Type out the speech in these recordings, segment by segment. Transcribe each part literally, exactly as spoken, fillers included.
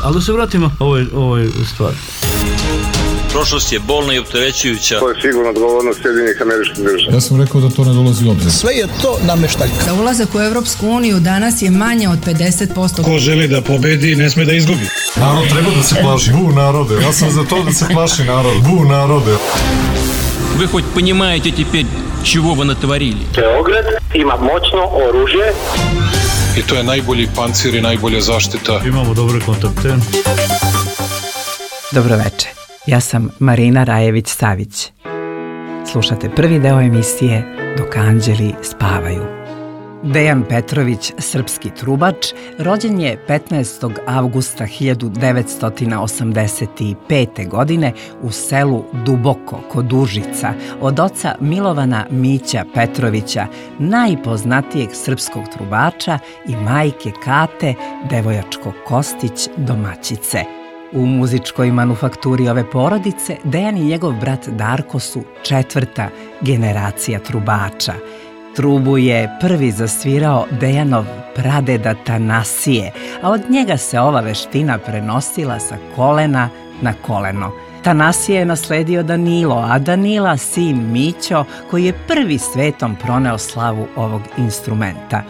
Ali da se vratimo ovoj, ovoj stvari. Prošlost je bolna i opterećujuća. To je sigurno odgovornost Sjedinjenih Američkih Država. Ja sam rekao da to ne dolazi u obzir. Sve je to nameštaljka. Da ulazak u Evropsku uniju danas je manje od pedeset posto. Ko želi da pobedi, ne sme da izgubi. Narod treba da se plaši. Bu narode. Ja sam za to da se plaši narod. Bu narode. Вы хоть понимаете теперь, чего вы натворили? Beograd ima moćno oružje. I to je najbolji pancir i najbolja zaštita. Imamo dobre kontakte. Dobro večer. Ja sam Marina Rajević-Savić. Slušate prvi deo emisije Dok anđeli spavaju. Dejan Petrović, srpski trubač, rođen je petnaestog avgusta hiljadu devetsto osamdeset pete. godine u selu Duboko kod Užica od oca Milovana Mića Petrovića, najpoznatijeg srpskog trubača, i majke Kate Devojačko Kostić domaćice. U muzičkoj manufakturi ove porodice Dejan i njegov brat Darko su četvrta generacija trubača. Trubu je prvi zasvirao Dejanov pradeda Tanasije, a od njega se ova veština prenosila sa kolena na koleno. Tanasije je nasledio Danilo, a Danila sin Mićo, koji je prvi svetom proneo slavu ovog instrumenta.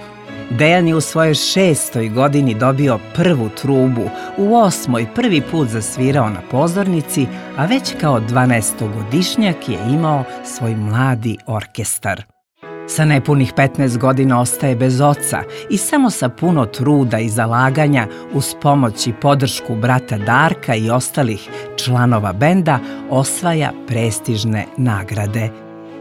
Dejan je u svojoj šestoj godini dobio prvu trubu, u osmoj prvi put zasvirao na pozornici, a već kao dvanaestogodišnjak je imao svoj mladi orkestar. Sa nepunih petnaest godina ostaje bez oca i samo sa puno truda i zalaganja, uz pomoć i podršku brata Darka i ostalih članova benda, osvaja prestižne nagrade.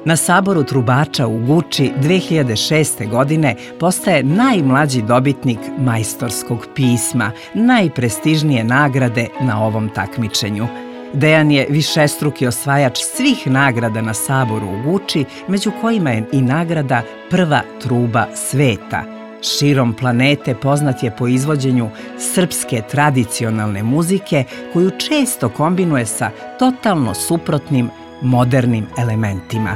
Na saboru trubača u Guči dve hiljade šeste. godine postaje najmlađi dobitnik majstorskog pisma, najprestižnije nagrade na ovom takmičenju. Dejan je višestruki osvajač svih nagrada na saboru u Guči, među kojima je i nagrada Prva truba sveta. Širom planete poznat je po izvođenju srpske tradicionalne muzike, koju često kombinuje sa totalno suprotnim modernim elementima.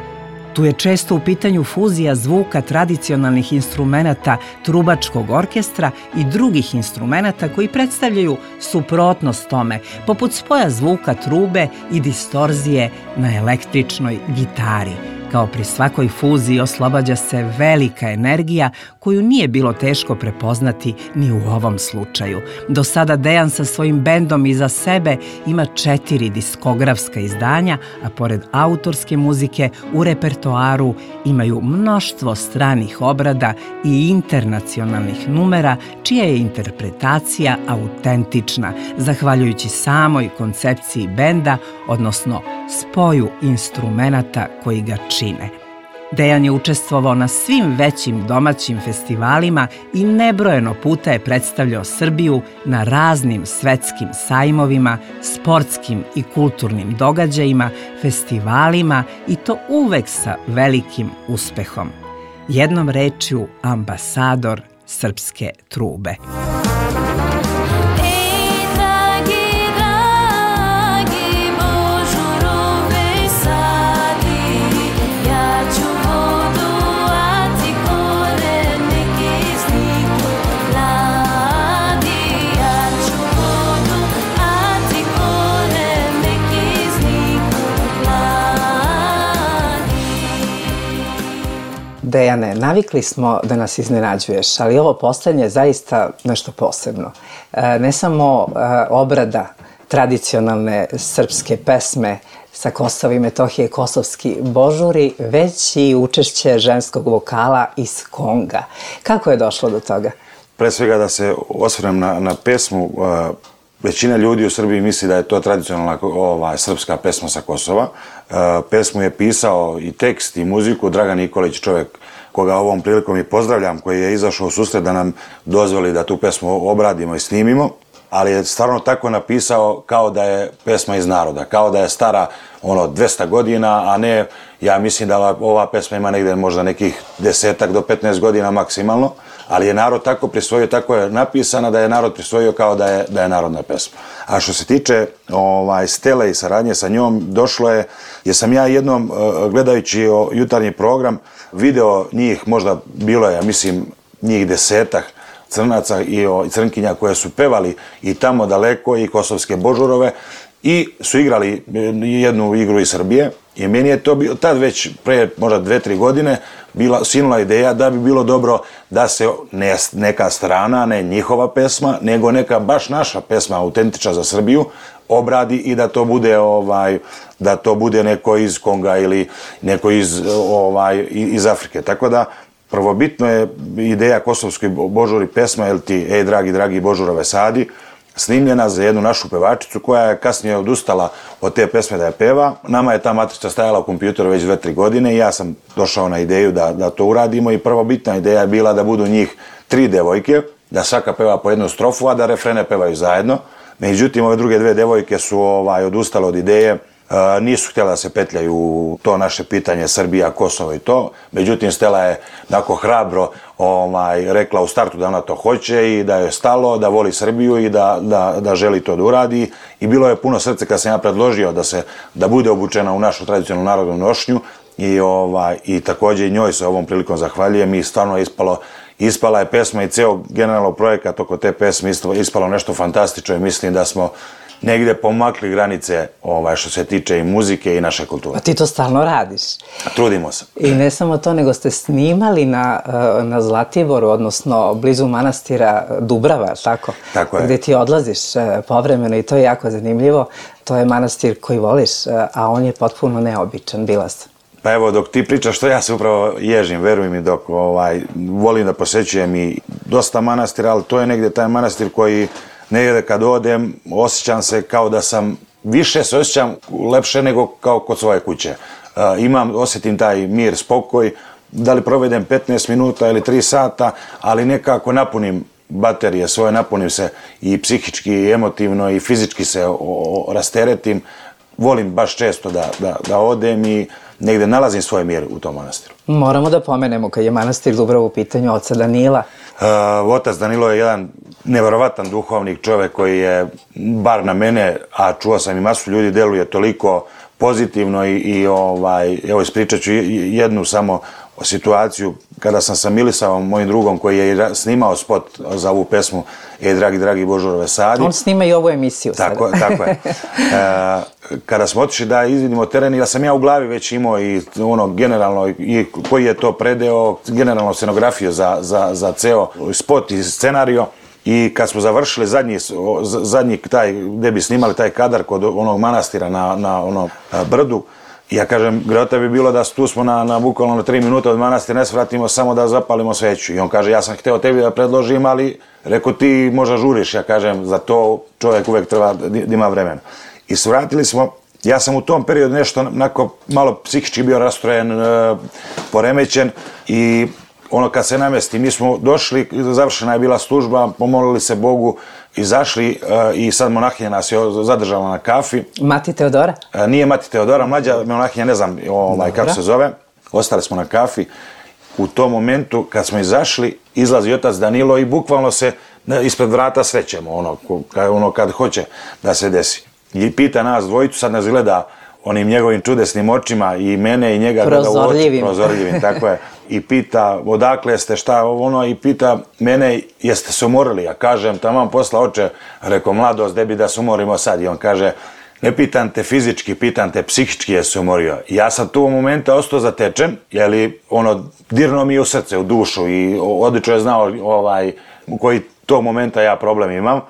Tu je često u pitanju fuzija zvuka tradicionalnih instrumenata trubačkog orkestra i drugih instrumenata koji predstavljaju suprotnost tome, poput spoja zvuka trube i distorzije na električnoj gitari. Kao pri svakoj fuziji oslobađa se velika energija koju nije bilo teško prepoznati ni u ovom slučaju. Do sada Dejan sa svojim bendom iza sebe ima četiri diskografska izdanja, a pored autorske muzike u repertoaru imaju mnoštvo stranih obrada i internacionalnih numera, čija je interpretacija autentična, zahvaljujući samoj koncepciji benda, odnosno spoju instrumenata koji ga čine. Dejan je učestvovao na svim većim domaćim festivalima i nebrojeno puta je predstavljao Srbiju na raznim svetskim sajmovima, sportskim i kulturnim događajima, festivalima, i to uvek sa velikim uspehom. Jednom rečju, ambasador srpske trube. Dejane, navikli smo da nas iznenađuješ, ali ovo poslednje je zaista nešto posebno. Ne samo obrada tradicionalne srpske pesme sa Kosova i Metohije, kosovski božuri, već i učešće ženskog vokala iz Konga. Kako je došlo do toga? Pre svega da se osvrnem na, na pesmu, većina ljudi u Srbiji misli da je to tradicionalna ova, srpska pesma sa Kosova. Pesmu je pisao i tekst i muziku Dragan Nikolić, čovjek koga ovom prilikom i pozdravljam, koji je izašao u susret da nam dozvoli da tu pesmu obradimo i snimimo, ali je stvarno tako napisao kao da je pesma iz naroda, kao da je stara ono dvesta godina, a ne, ja mislim da ova, ova pesma ima negde možda nekih desetak do petnaest godina maksimalno, ali je narod tako prisvojio, tako je napisana da je narod prisvojio kao da je, da je narodna pesma. A što se tiče ovaj, Stele i saradnje sa njom, došlo je, jer sam ja jednom gledajući jutarnji program video njih, možda bilo je, ja mislim, njih desetak, crnaca i, o, i crnkinja koje su pevali i tamo daleko i kosovske božurove i su igrali jednu igru iz Srbije i meni je to bio, tad već pre možda dve, tri godine bila sinula ideja da bi bilo dobro da se ne neka strana, ne njihova pesma, nego neka baš naša pesma autentična za Srbiju obradi i da to bude ovaj da to bude neko iz Konga ili neko iz ovaj iz Afrike. Tako da prvobitno je ideja kosovskoj božuri pesma El ti, ej dragi, dragi Božurove Sadi, snimljena za jednu našu pevačicu koja je kasnije odustala od te pesme da je peva. Nama je ta matrica stajala u kompjuteru već dve, tri godine i ja sam došao na ideju da, da to uradimo i prvobitna ideja je bila da budu njih tri devojke, da svaka peva po jednu strofu, a da refrene pevaju zajedno. Međutim, ove druge dve devojke su ovaj, odustale od ideje, e, nisu htjela da se petljaju u to naše pitanje Srbija, Kosovo i to. Međutim, Stela je tako hrabro ovaj, rekla u startu da ona to hoće i da je stalo, da voli Srbiju i da, da, da želi to da uradi. I bilo je puno srce kad sam ja predložio da, se, da bude obučena u našu tradicionalnu narodnu nošnju i, ovaj, i također i njoj se ovom prilikom zahvaljujem i stvarno je ispalo Ispala je pesma i ceo generalno projekat oko te pesme ispalo nešto fantastično i mislim da smo negdje pomakli granice ovaj, što se tiče i muzike i naše kulture. A ti to stalno radiš. Trudimo se. I ne samo to, nego ste snimali na, na Zlatiboru, odnosno blizu manastira Dubrava, tako? Tako je. Gde ti odlaziš povremeno i to je jako zanimljivo. To je manastir koji voliš, a on je potpuno neobičan, bila sam. Pa evo, dok ti pričaš što ja se upravo ježim, veruj mi, dok ovaj, volim da posećujem i dosta manastira, ali to je negdje taj manastir koji negdje kad odem osjećam se kao da sam, više se osjećam lepše nego kao kod svoje kuće. Uh, imam, osjetim taj mir, spokoj, da li provedem petnaest minuta ili tri sata, ali nekako napunim baterije svoje, napunim se i psihički, i emotivno, i fizički se o, o, rasteretim. Volim baš često da, da, da odem i negdje nalazim svoj mir u tom manastiru. Moramo da pomenemo kad je manastir Dubrava u pitanju oca Danila. Uh, otac Danilo je jedan neverovatan duhovnik, čovjek koji je, bar na mene, a čuo sam i masu ljudi, deluje toliko pozitivno i, i ovaj, evo ispričat ću jednu samo situaciju kada sam sa Milisavom, mojim drugom, koji je snimao spot za ovu pesmu Ej dragi, dragi Božurove Sadi. On snima i ovu emisiju tako, sada. Tako je. E, kada smo otišli da izvidimo teren, ja sam ja u glavi već imao i ono generalno, i koji je to predeo, generalno scenografiju za, za, za ceo spot i scenario. I kad smo završili zadnji, zadnji taj, gde bi snimali taj kadar kod onog manastira na, na onom brdu, ja kažem, grota bi bilo da tu smo na, na bukvalno na tri minuta od manastira, ne svratimo samo da zapalimo sveću. I on kaže, ja sam hteo tebi da predložim, ali reko ti možda žuriš. Ja kažem, za to čovjek uvek treba da ima vremena. I svratili smo, ja sam u tom periodu nešto onako malo psihički bio rastrojen, e, poremećen i ono kad se namesti, mi smo došli, završena je bila služba, pomolili se Bogu, izašli uh, i sad monahinja nas je zadržala na kafi. Mati Teodora? Uh, nije Mati Teodora, mlađa monahinja, ne znam ovaj, kako se zove. Ostali smo na kafi. U tom momentu kad smo izašli, izlazi otac Danilo i bukvalno se ispred vrata srećemo, ono, ono kad hoće da se desi. I pita nas dvojicu, sad nas gleda onim njegovim čudesnim očima i mene i njega gleda u oči, prozorljivim, tako je. I pita odakle ste, šta ono, i pita mene jeste se umorili. Ja kažem, taman posla oče, reko mladost, gde bi da se umorimo sad. I on kaže, ne pitam te fizički, pitam te psihički je se umorio. I ja sam tu u momenta ostao zatečen, jeli ono, dirno mi je u srce, u dušu i odlično je znao ovaj, u koji tog momenta ja problem imam.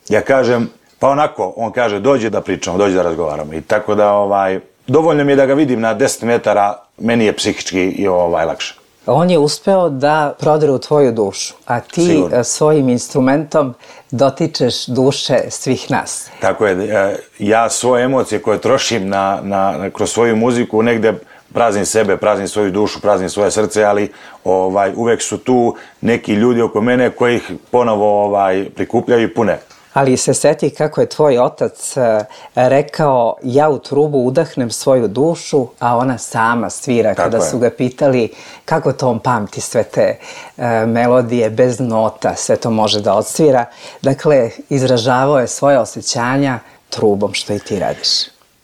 Ja kažem, pa onako, on kaže, dođi da pričamo, dođi da razgovaramo. I tako da, ovaj, dovoljno mi je da ga vidim na deset metara, meni je psihički i ovaj, lakše. On je uspeo da prodre u tvoju dušu, a ti Sigurno. Svojim instrumentom dotičeš duše svih nas. Tako je, ja svoje emocije koje trošim na, na, kroz svoju muziku negde praznim sebe, praznim svoju dušu, praznim svoje srce, ali ovaj, uvek su tu neki ljudi oko mene koji ih ponovo ovaj, prikupljaju i pune. Ali se seti kako je tvoj otac rekao, ja u trubu udahnem svoju dušu, a ona sama svira. Tako kada je. Su ga pitali kako to on pamti sve te e, melodije bez nota, sve to može da odsvira. Dakle, izražavao je svoje osjećanja trubom, što i ti radiš.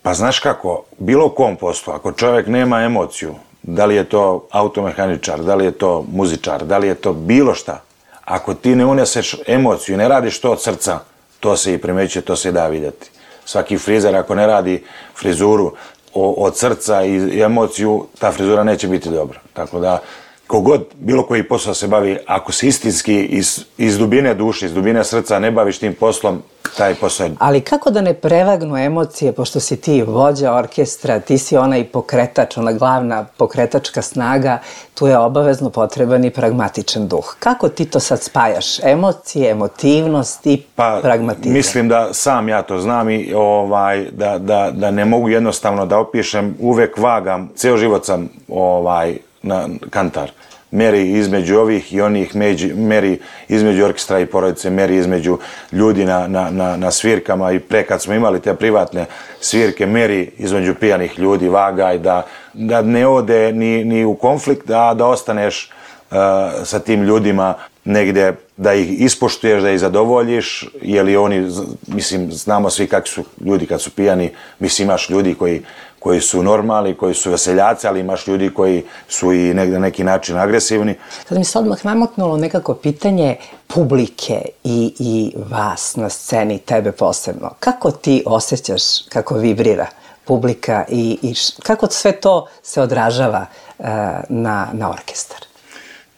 Pa znaš kako, bilo u kom poslu, ako čovjek nema emociju, da li je to automehaničar, da li je to muzičar, da li je to bilo šta, Ako ti ne uneseš emociju, ne radiš to od srca, to se i primećuje, to se i da vidjeti. Svaki frizer ako ne radi frizuru od srca i emociju, ta frizura neće biti dobra. Tako da, kogod bilo koji posao se bavi, ako se istinski iz, iz dubine duše, iz dubine srca ne baviš tim poslom, taj posao je... Ali kako da ne prevagnu emocije, pošto si ti vođa orkestra, ti si onaj pokretač, ona glavna pokretačka snaga, tu je obavezno potreban i pragmatičan duh. Kako ti to sad spajaš? Emocije, emotivnost i pa, pragmatizam? Mislim da sam ja to znam i ovaj, da, da, da ne mogu jednostavno da opišem, uvek vagam, ceo život sam ovaj, na kantar. Meri između ovih i onih, među, meri između orkestra i porodice, meri između ljudi na, na, na, na svirkama i pre kad smo imali te privatne svirke, meri između pijanih ljudi, vagaj, da, da ne ode ni, ni u konflikt, a da ostaneš uh, sa tim ljudima negde, da ih ispoštuješ, da ih zadovoljiš, jer i oni, mislim, znamo svi kakvi su ljudi kad su pijani, mislim, imaš ljudi koji koji su normalni, koji su veseljaci, ali imaš ljudi koji su i negde na neki način agresivni. Sad mi se odmah namaknulo nekako pitanje publike i, i vas na sceni, tebe posebno. Kako ti osjećaš kako vibrira publika i, i š, kako sve to se odražava uh, na, na orkestar?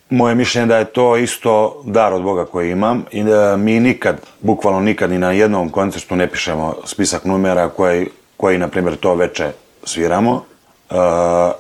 Moje mišljenje da je to isto dar od Boga koji imam i da mi nikad, bukvalno nikad, ni na jednom koncertu ne pišemo spisak numera koji, koji na primjer, to veče sviramo. Uh,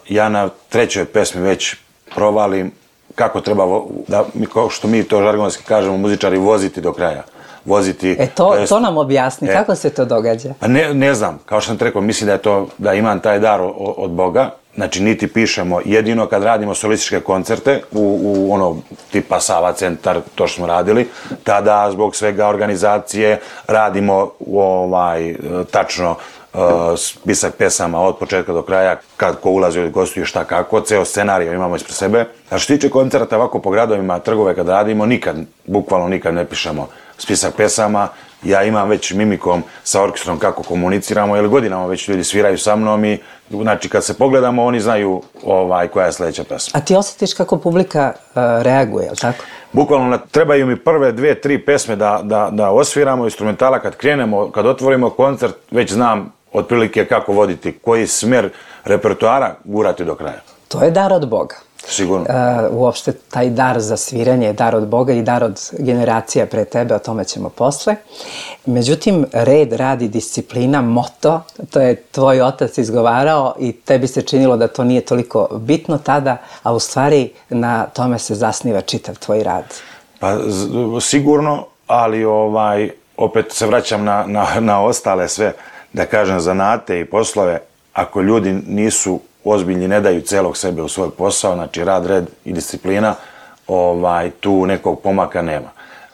ja na trećoj pesmi već provalim kako treba, da, kao što mi to žargonski kažemo, muzičari, voziti do kraja. Voziti... E to, to, to nam objasni, e, kako se to događa? Pa ne, ne znam, kao što sam te rekao, mislim da je to, da imam taj dar od, od Boga. Znači, niti pišemo, jedino kad radimo solističke koncerte u, u ono tipa Sava centar, to što smo radili, tada zbog svega organizacije radimo ovaj, tačno uh, spisak pesama od početka do kraja, kad ko ulazi od gostuje šta kako, ceo scenarij imamo ispred sebe. A što tiče koncerta ovako po gradovima, trgove kad radimo, nikad, bukvalno nikad ne pišemo spisak pesama. Ja imam već mimikom sa orkestrom kako komuniciramo, jer godinama već ljudi sviraju sa mnom i znači kad se pogledamo oni znaju ovaj, koja je sledeća pesma. A ti osjetiš kako publika uh, reaguje, je li tako? Bukvalno trebaju mi prve dve, tri pesme da, da, da osviramo instrumentala, kad krenemo, kad otvorimo koncert, već znam otprilike kako voditi, koji smer repertoara gurati do kraja. To je dar od Boga. Sigurno. Uh, uopšte taj dar za sviranje je dar od Boga i dar od generacija pre tebe, o tome ćemo posle. Međutim, red, rad i disciplina, moto, to je tvoj otac izgovarao i tebi se činilo da to nije toliko bitno tada, a u stvari na tome se zasniva čitav tvoj rad. Pa sigurno, ali ovaj, opet se vraćam na, na, na ostale sve, da kažem, zanate i poslove. Ako ljudi nisu ozbiljni, ne daju celog sebe u svoj posao, znači rad, red i disciplina, ovaj, tu nekog pomaka nema.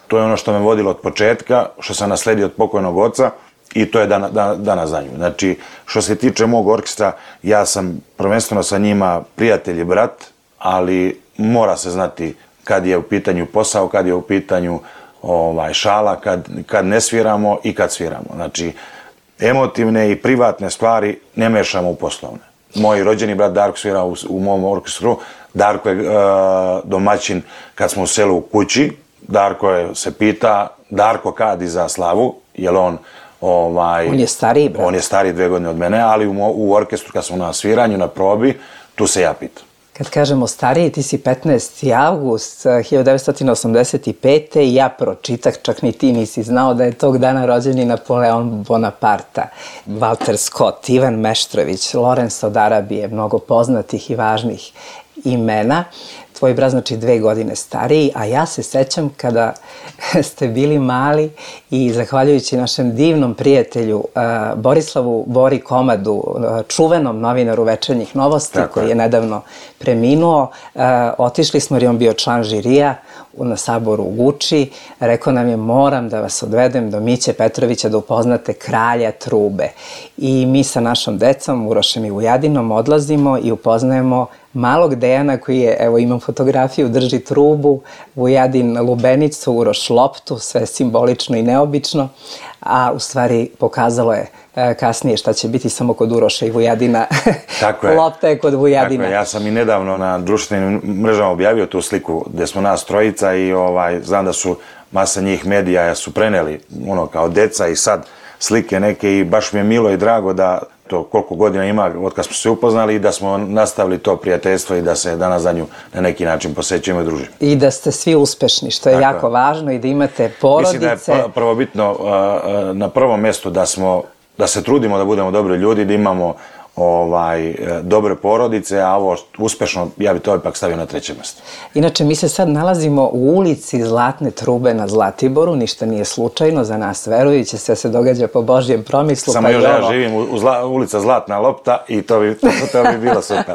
To je ono što me vodilo od početka, što sam nasledio od pokojnog oca i to je dan, dan, danas za nju. Znači, što se tiče mog orkestra, ja sam prvenstveno sa njima prijatelj i brat, ali mora se znati kad je u pitanju posao, kad je u pitanju ovaj, šala, kad, kad ne sviramo i kad sviramo. Znači, emotivne i privatne stvari ne mešamo u poslovne. Moj rođeni brat Darko svira u, u mom orkestru. Darko je uh, domaćin kad smo u selu u kući. Darko je, se pita, Darko kadi za slavu, jer on... Ovaj, on je stariji brat. On je stariji dve godine od mene, ali u, u orkestru kad smo na sviranju, na probi, tu se ja pitam. Kad kažemo stariji, ti si petnaesti avgust hiljadu devetsto osamdeset pete. i ja pročitah, čak ni ti nisi znao da je tog dana rođeni Napoleon Bonaparte, Walter Scott, Ivan Meštrović, Lorenz od Arabije, mnogo poznatih i važnih imena. Tvoj brat znači dve godine stariji, a ja se sećam kada ste bili mali i zahvaljujući našem divnom prijatelju uh, Borislavu Bori Komadu, uh, čuvenom novinaru Večernjih novosti, tako koji je nedavno preminuo, uh, otišli smo jer je on bio član žirija na saboru u Guči, rekao nam je moram da vas odvedem do Miće Petrovića da upoznate kralja trube. I mi sa našom decom, Urošem i Vujadinom, odlazimo i upoznajemo malog Dejana koji je, evo imam fotografiju, drži trubu, Vujadin lubenicu, Uroš loptu, sve simbolično i neobično, a u stvari pokazalo je kasnije šta će biti samo kod Uroša i Vujadina. Tako je. Lopta je kod Vujadina. Tako je. Ja sam i nedavno na društvenim mrežama objavio tu sliku gdje smo nas trojica i ovaj, znam da su masa njih medija su preneli ono kao deca i sad slike neke i baš mi je milo i drago da to koliko godina ima od kad smo se upoznali i da smo nastavili to prijateljstvo i da se danas za nju na neki način posećujemo i družimo. I da ste svi uspešni, što je tako jako važno i da imate porodice. Mislim da je prvobitno na prvom mjestu da smo, da se trudimo da budemo dobri ljudi, da imamo ovaj, dobre porodice, a ovo uspešno, ja bi to ipak stavio na treće mjesto. Inače, mi se sad nalazimo u ulici Zlatne trube na Zlatiboru, ništa nije slučajno za nas verujući, sve se događa po Božjem promislu. Samo pa još ja živim u, u zla, ulica Zlatna lopta i to bi, to, to bi bilo super.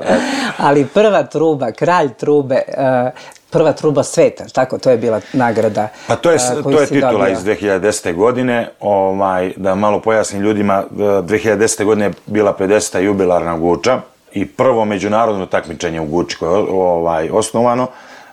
Ali prva truba, kralj trube, uh, prva truba sveta, tako, to je bila nagrada. Pa to je, to je titula dobio. Iz dve hiljade desete. godine, ovaj, da malo pojasnim ljudima, dve hiljade desete. godine je bila pedeseta jubilarna Guča i prvo međunarodno takmičenje u Guči koje je ovaj, osnovano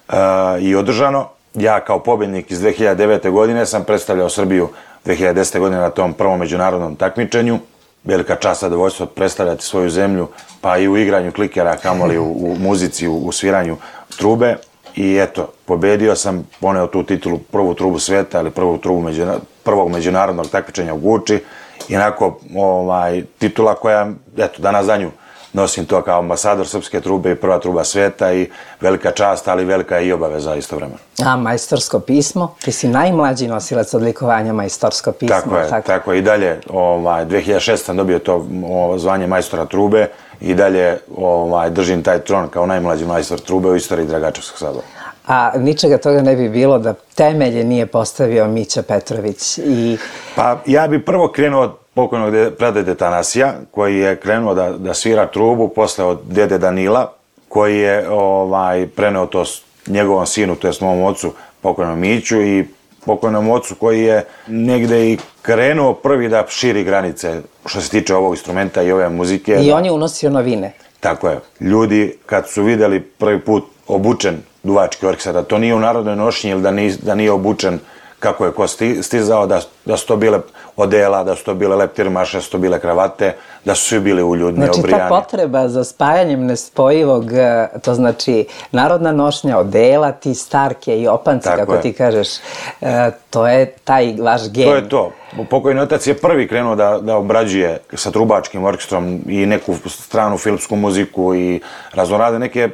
uh, i održano. Ja kao pobjednik iz dve hiljade devete. godine sam predstavljao Srbiju dve hiljade desete. godine na tom prvom međunarodnom takmičenju. Velika čast, zadovoljstvo predstavljati svoju zemlju, pa i u igranju klikera, kamoli u, u muzici, u, u sviranju trube. I eto, pobedio sam, poneo tu titulu prvu trubu sveta ili prvu trubu međuna, prvog međunarodnog takmičenja u Guči. I onako, ovaj, titula koja, eto, danas za nju nosim to kao ambasador srpske trube i prva truba sveta i velika čast, ali velika je i obaveza istovremeno. A, majstorsko pismo? Ti si najmlađi nosilac odlikovanja majstorsko pismo. Tako je, tako, tako je. I dalje, ovaj, dve hiljade šeste. sam dobio to o, zvanje majstora trube i dalje ovaj, držim taj tron kao najmlađi majstor trube u istoriji Dragačevskog sabora. A ničega toga ne bi bilo da temelje nije postavio Mića Petrović i... Pa ja bi prvo krenuo od pokojnog pradede Tanasija, koji je krenuo da, da svira trubu, posle od dede Danila, koji je ovaj, preneo to njegovom sinu, to je mom ocu, pokojnom Miću, i pokojnom ocu koji je negde i krenuo prvi da širi granice što se tiče ovog instrumenta i ove muzike. I da... on je unosio novine. Tako je. Ljudi kad su videli prvi put obučen duvački orkestar, da to nije u narodnoj nošnji ili da nije, da nije obučen kako je ko stizao, da, da su to bile odela, da su to bile leptirmaše, da su to bile kravate, da su svi bili uljudni, znači, obrijani. Znači ta potreba za spajanjem nespojivog, to znači narodna nošnja, odela, ti starke i opanci, tako kako je. Ti kažeš, to je taj vaš gen. To je to. Pokojni otac je prvi krenuo da, da obrađuje sa trubačkim orkestrom i neku stranu filmsku muziku i raznorade neke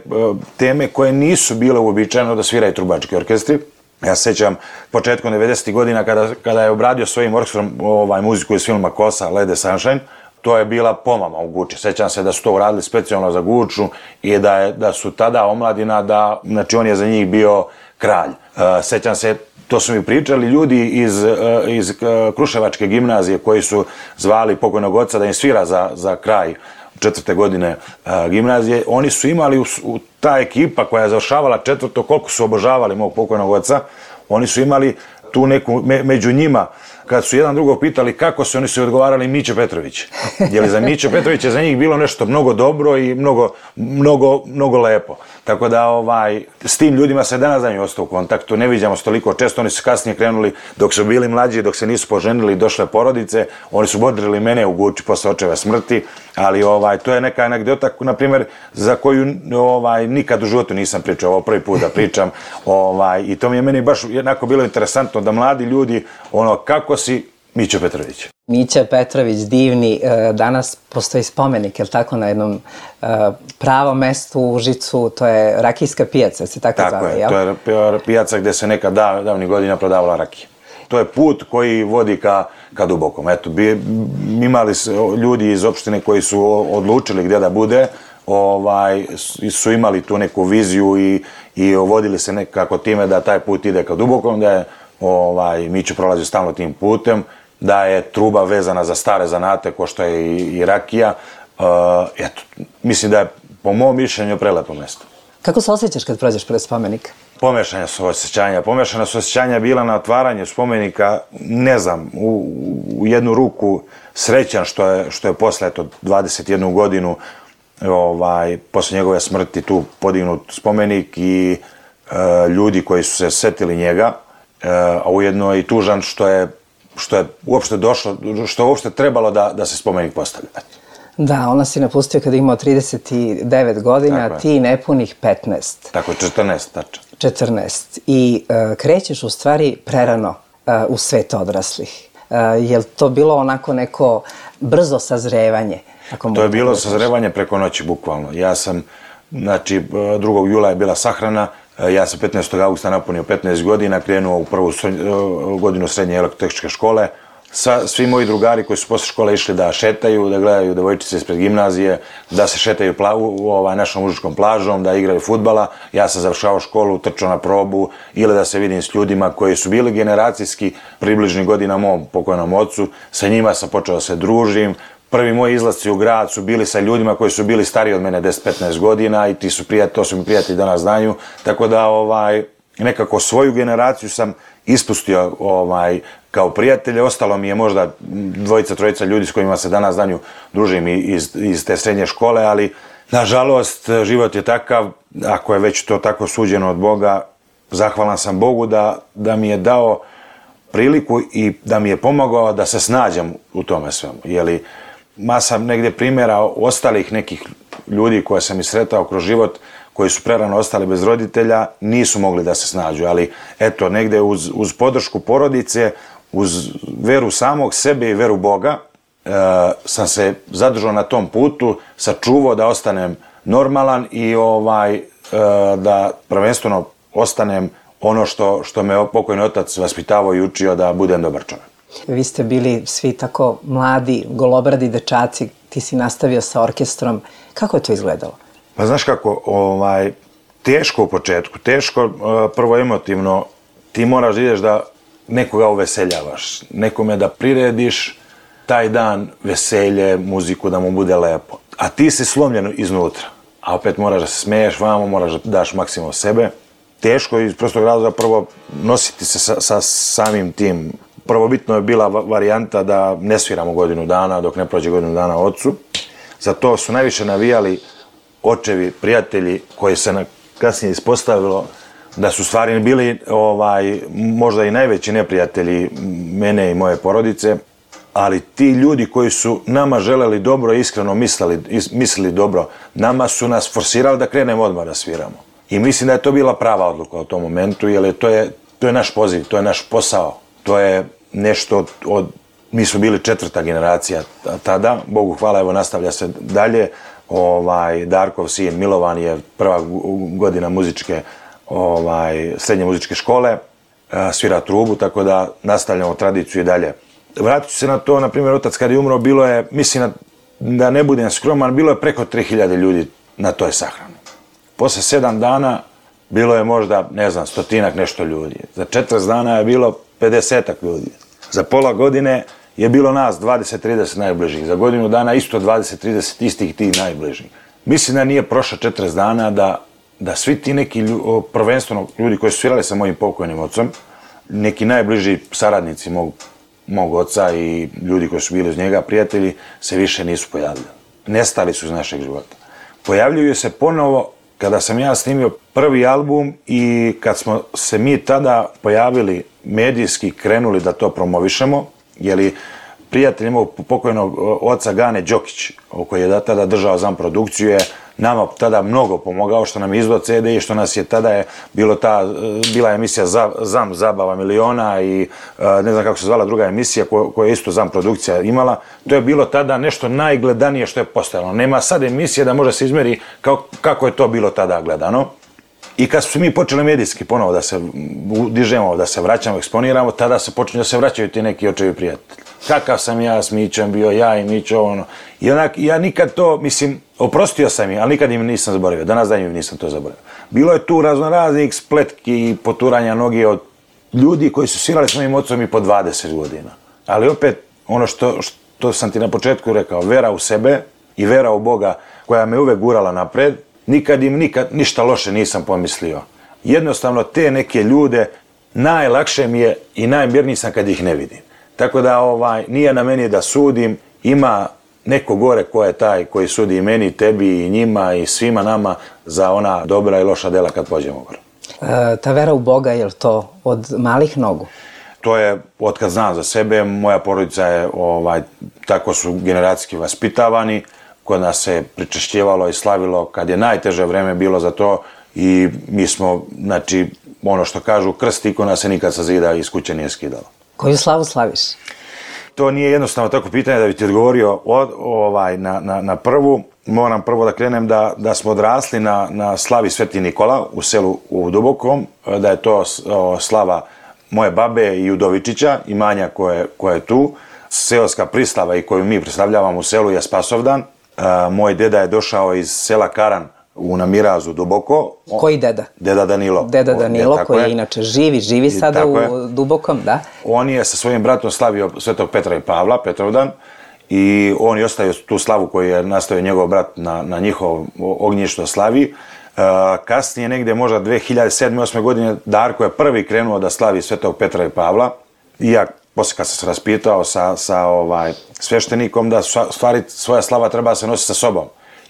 teme koje nisu bile uobičajeno da sviraju trubački orkestri. Ja se sjećam početkom devedesetih godina kada, kada je obradio svojim orkestrom ovaj, muziku iz filma Kosa, Lede Sunshine, to je bila pomama u Guči. Sjećam se da su to uradili specijalno za Guču i da, je, da su tada omladina, da, znači on je za njih bio kralj. Uh, sjećam se, to su mi pričali ljudi iz, uh, iz uh, Kruševačke gimnazije koji su zvali pokojnog oca da im svira za, za kraj četvrte godine uh, gimnazije. Oni su imali u, u ta ekipa koja je završavala četvrto, koliko su obožavali mog pokojnog oca, oni su imali tu neku, me, među njima, kad su jedan drugog pitali kako se, oni su odgovarali Mića Petrović. Jer za Mića Petrović je za njih bilo nešto mnogo dobro i mnogo, mnogo, mnogo lepo. Tako da ovaj, s tim ljudima se danas danju ostao u kontaktu, ne viđamo se toliko često, oni su kasnije krenuli dok su bili mlađi, dok se nisu poženili, došle porodice, oni su bodrili mene u Guči posle očeve smrti, ali ovaj, to je neka anegdota, na primjer, za koju ovaj, nikad u životu nisam pričao, ovo prvi put da pričam, ovaj, i to mi je meni baš jednako bilo interesantno da mladi ljudi, ono, kako si Mića Petrović. Mića Petrović, divni, danas postoji spomenik, je li tako, na jednom pravom mestu u Užicu, to je rakijska pijaca, se tako, tako zove, jel? Tako je, to je pijaca gde se neka dav, davnih godina prodavala rakija. To je put koji vodi ka, ka Dubokom. Eto, bi, imali ljudi iz opštine koji su odlučili gdje da bude, ovaj, su imali tu neku viziju i, i vodili se nekako time da taj put ide ka Dubokom, da je ovaj, Miću prolazi stalno tim putem, da je truba vezana za stare zanate, ko što je i, i rakija. Uh, eto, mislim da je, po mom mišljenju, prelepo mjesto. Kako se osjećaš kad prođeš pred spomenik? Pomešanja su osjećanja. Pomešana su osjećanja bila na otvaranju spomenika, ne znam, u, u jednu ruku srećan što je, što je posle eto, dvadeset jednu godinu ovaj, posle njegove smrti tu podignut spomenik i e, ljudi koji su se setili njega, e, a ujedno i tužan što je, što je uopšte došlo, što je uopšte trebalo da, da se spomenik postavlja. Da, ona si napustio kada je imao trideset devet godina, a ti nepunih petnaest. Tako je, četrnaest, tačno. četrnaest. I uh, krećeš u stvari prerano uh, u svet odraslih. Uh, je li to bilo onako neko brzo sazrevanje? Ako to je bilo sazrevanje preko noći, bukvalno. Ja sam, znači, drugog jula je bila sahrana, ja sam petnaestog augusta napunio petnaest godina, krenuo u prvu godinu srednje elektrotehničke škole. Sa, svi moji drugari koji su posle škole išli da šetaju, da gledaju devojčice ispred gimnazije, da se šetaju pla, u ovaj, našom mužičkom plažom, da igraju fudbala. Ja sam završavao školu, trčao na probu ili da se vidim s ljudima koji su bili generacijski približni godina mom pokojnom ocu. Sa njima sam počeo da se družim. Prvi moji izlasci u grad su bili sa ljudima koji su bili stariji od mene deset petnaest godina i ti su prijatelji, to su mi prijatelji danas znaju. Tako da ovaj, nekako svoju generaciju sam ispustio ovaj, kao prijatelje. Ostalo mi je možda dvojica, trojica ljudi s kojima se danas danju družim iz, iz te srednje škole, ali nažalost život je takav, ako je već to tako suđeno od Boga, zahvalan sam Bogu da, da mi je dao priliku i da mi je pomogao da se snađem u tome svemu. Jeli, masa negdje primjera ostalih nekih ljudi koje sam i sretao kroz život, koji su prerano ostali bez roditelja, nisu mogli da se snađu, ali eto, negdje uz, uz podršku porodice, uz veru samog sebe i veru Boga, e, sam se zadržao na tom putu, sačuvao da ostanem normalan i ovaj, e, da prvenstveno ostanem ono što, što me pokojni otac vaspitavao i učio da budem dobar čovjek. Vi ste bili svi tako mladi, golobradi dečaci, ti si nastavio sa orkestrom. Kako je to izgledalo? Pa znaš kako, ovaj, teško u početku, teško prvo emotivno, ti moraš da ideš da nekoga uveseljavaš, nekome da prirediš taj dan veselje, muziku, da mu bude lepo. A ti si slomljen iznutra, a opet moraš da se smeješ vamo, moraš da daš maksimum sebe. Teško iz prostog razloga prvo nositi se sa, sa samim tim. Prvobitno je bila varijanta da ne sviramo godinu dana dok ne prođe godinu dana ocu. Za to su najviše navijali očevi, prijatelji koji se na, kasnije ispostavilo da su stvari bili ovaj, možda i najveći neprijatelji mene i moje porodice, ali ti ljudi koji su nama želeli dobro i iskreno mislili, mislili dobro, nama su nas forsirali da krenemo odmah da sviramo. I mislim da je to bila prava odluka u tom momentu, jer je, to, je, to je naš poziv, to je naš posao, to je nešto od, od mi smo bili četvrta generacija tada, Bogu hvala, evo nastavlja se dalje. Ovaj, Darkov sin Milovan je prva godina muzičke, ovaj, srednje muzičke škole, svira trubu, tako da nastavljamo tradiciju i dalje. Vratit ću se na to, na primjer, otac kad je umro, bilo je, mislim da ne budem skroman, bilo je preko tri hiljade ljudi na toj sahrani. Posle sedam dana bilo je možda, ne znam, stotinak nešto ljudi. Za četrdeset dana je bilo pedesetak ljudi. Za pola godine je bilo nas dvadeset trideset najbližih. Za godinu dana isto dvadeset trideset istih tih najbližih. Mislim da nije prošlo četrdeset dana da, da svi ti neki lju, prvenstveno ljudi koji su svirali sa mojim pokojnim ocom, neki najbliži saradnici mog, mog oca i ljudi koji su bili uz njega, prijatelji, se više nisu pojavili. Nestali su iz našeg života. Pojavljuju se ponovo kada sam ja snimio prvi album i kad smo se mi tada pojavili medijski, krenuli da to promovišemo, jer prijatelj imao pokojnog oca Gane Đokić, koji je tada držao zam produkciju, je nama tada mnogo pomogao, što nam je izdao ce de i što nas je tada je bilo ta, bila emisija Zam zabava miliona i ne znam kako se zvala druga emisija koja je isto zam produkcija imala. To je bilo tada nešto najgledanije što je postojalo. Nema sad emisije da može se izmeri kao, kako je to bilo tada gledano. I kad su mi počeli medijski ponovo da se dižemo, da se vraćamo, eksponiramo, tada se počinju da se vraćaju ti neki očevi prijatelji. Kakav sam ja s Mićom bio, ja i Mićo, ono. I onak, ja nikad to, mislim, oprostio sam im, ali nikad im nisam zaboravio. Danas dan im nisam to zaboravio. Bilo je tu raznoraznih spletki i poturanja noge od ljudi koji su svirali s mojim ocom i po dvadeset godina. Ali opet, ono što, što sam ti na početku rekao, vera u sebe i vera u Boga koja me uvek gurala napred, nikad im nikad ništa loše nisam pomislio. Jednostavno te neke ljude najlakše mi je i najmirniji sam kad ih ne vidim. Tako da ovaj, nije na meni da sudim, ima neko gore ko je taj koji sudi i meni, tebi i njima i svima nama za ona dobra i loša dela kad pođemo gore. E, ta vera u Boga, je li to od malih nogu? To je, otkad znam za sebe, moja porodica je, ovaj, tako su generacijski vaspitavani, kod nas se pričešćivalo i slavilo kad je najteže vreme bilo za to i mi smo, znači, ono što kažu, krst ikona se nikad sa zida iz kuće nije skidalo. Koju slavu slaviš? To nije jednostavno tako pitanje da bi ti odgovorio od, ovaj, na, na, na prvu. Moram prvo da krenem da, da smo odrasli na, na slavi Sveti Nikola u selu u Dubokom, da je to o, slava moje babe i Udovičića, imanja koje, koje je tu. Seoska prislava i koju mi predstavljavamo u selu je Spasovdan. E, moj deda je došao iz sela Karan u Namirazu Duboko. Koji deda? Deda Danilo. Deda Danilo, o, koji je inače živi, živi sada u je. Dubokom, da. On je sa svojim bratom slavio Svetog Petra i Pavla, Petrovdan, i on je ostavio tu slavu koju je nastavio njegov brat na, na njihov ognjištu slavi. Uh, kasnije, negde možda dve hiljade sedme osme godine, Darko je prvi krenuo da slavi Svetog Petra i Pavla. I ja, posle kad sam se raspitao sa, sa ovaj, sveštenikom, da stvari svoja slava treba se nositi sa sobom.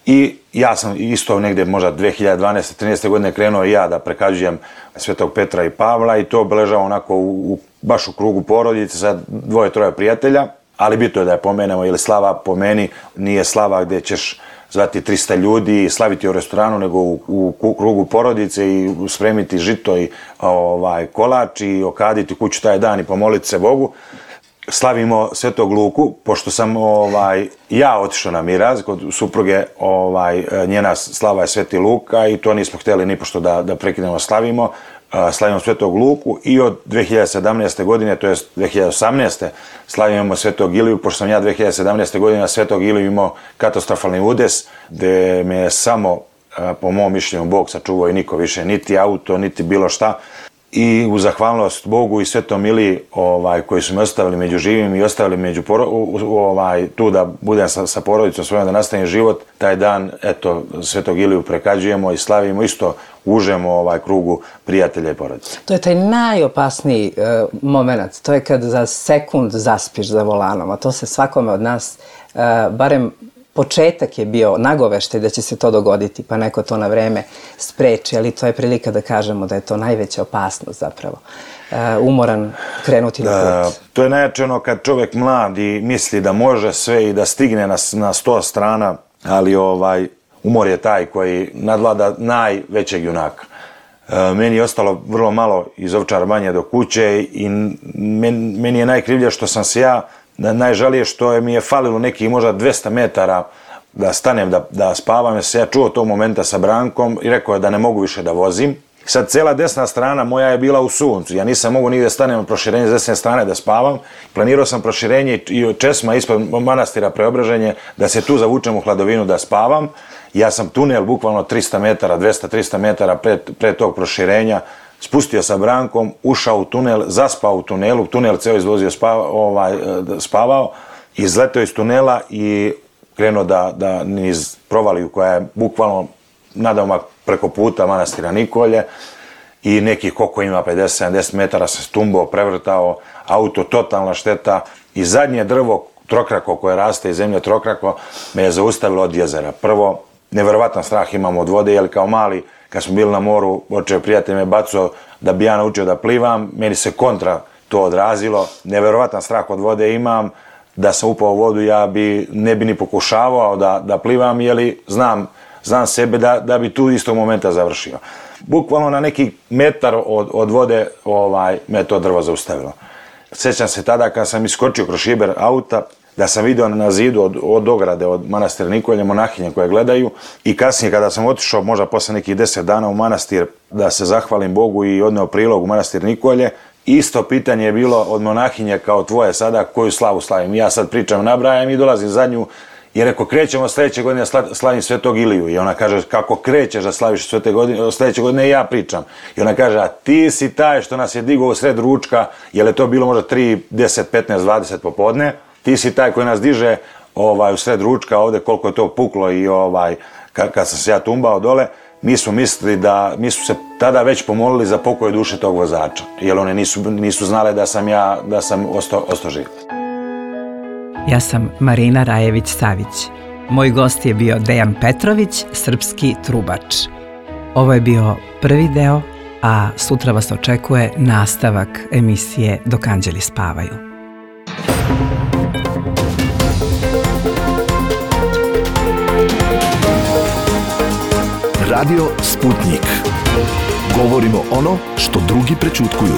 I ja sam isto negde možda dve hiljade dvanaeste trinaeste godine krenuo i ja da prekažujem Svetog Petra i Pavla i to obeležavam onako u, u, baš u krugu porodice sa dvoje, troje prijatelja. Ali bitno je da je pomenemo, jer slava po meni nije slava gde ćeš zvati trista ljudi i slaviti u restoranu, nego u, u krugu porodice i spremiti žito i ovaj, kolač i okaditi kuću taj dan i pomoliti se Bogu. Slavimo Svetog Luku, pošto sam ovaj, ja otišao na miraz, kod supruge ovaj, njena slava je Sveti Luka i to nismo htjeli ni pošto da, da prekinemo slavimo. Slavimo Svetog Luku i od dve hiljade sedamnaeste godine, to je dve hiljade osamnaeste slavimo Svetog Iliju, pošto sam ja dve hiljade sedamnaeste godine na Svetog Iliju imao katastrofalni udes, gde me je samo, po mom mišljenju, Bog sačuvao i niko više, niti auto, niti bilo šta. I u zahvalnost Bogu i Svetom Iliji ovaj, koji su me ostavili među živim i ostavili među poro, ovaj, tu da budem sa, sa porodicom svojom, da nastavim život, taj dan, eto, Svetog Iliju prekađujemo i slavimo, isto užemo ovaj krugu prijatelja i porodice. To je taj najopasniji uh, moment, to je kad za sekund zaspiš za volanom, a to se svakome od nas, uh, barem početak je bio nagoveštaj da će se to dogoditi, pa neko to na vreme spreči, ali to je prilika da kažemo da je to najveća opasnost zapravo. Uh, umoran krenuti na put. Uh, to je najjače ono kad čovjek mlad i misli da može sve i da stigne na, na sto strana, ali ovaj, umor je taj koji nadvlada najvećeg junaka. Uh, meni je ostalo vrlo malo iz Ovčar Banje do kuće i men, meni je najkrivlje što sam se ja najžalije što je mi je falilo nekih možda dvesta metara da stanem da, da spavam, jer se ja čuo tog momenta sa Brankom i rekao je da ne mogu više da vozim. Sad cela desna strana moja je bila u suncu, ja nisam mogu nigde stanem na proširenje s desne strane da spavam. Planirao sam proširenje i česma ispod manastira Preobraženje da se tu zavučem u hladovinu da spavam. Ja sam tunel bukvalno trista metara, dvesta trista metara pre, pre tog proširenja spustio sa Brankom, ušao u tunel, zaspao u tunelu, tunel ceo izvozio spava, ovaj, spavao, izletao iz tunela i krenuo da, da niz provaliju koja je bukvalno nadomak preko puta manastira Nikolje i nekih koliko ima pedeset sedamdeset metara se stumbao, prevrtao, auto totalna šteta i zadnje drvo trokrako koje raste iz zemlje trokrako me je zaustavilo od jezera. Prvo, neverovatan strah imam od vode, jer kao mali kad smo bili na moru, očeo prijatelj me bacao da bi ja naučio da plivam, meni se kontra to odrazilo, neverovatan strah od vode imam, da sam upao u vodu ja bi, ne bi ni pokušavao da, da plivam, jer znam, znam sebe da, da bi tu istog momenta završio. Bukvalno na neki metar od, od vode ovaj, me to drvo zaustavilo. Sjećam se tada kad sam iskočio kroz šiber auta, da sam vidio na zidu od, od ograde, od manastira Nikolje, monahinje koje gledaju i kasnije kada sam otišao, možda posle nekih deset dana u manastir, da se zahvalim Bogu i odneo prilog u manastir Nikolje, isto pitanje je bilo od monahinje kao tvoje sada, koju slavu slavim. Ja sad pričam, nabrajam i dolazim za nju i rekao, krećemo sljedeće godine da slavim Svetog Iliju. I ona kaže, kako krećeš da slaviš svete godine, sljedeće godine, ja pričam. I ona kaže, a ti si taj što nas je digao u sred ručka, jer je to bilo možda tri, deset, petnaest, dvadeset popodne, ti si taj koji nas diže ovaj, u sred ručka ovde koliko je to puklo i ovaj, kad, kad sam se ja tumbao dole, mi smo mislili da, mi su se tada već pomolili za pokoj duše tog vozača, jer one nisu, nisu znale da sam ja, da sam ostao, ostao živ. Ja sam Marina Rajević-Savić. Moj gost je bio Dejan Petrović, srpski trubač. Ovo je bio prvi deo, a sutra vas očekuje nastavak emisije Dok anđeli spavaju. Radio Sputnik. Govorimo ono što drugi prećutkuju.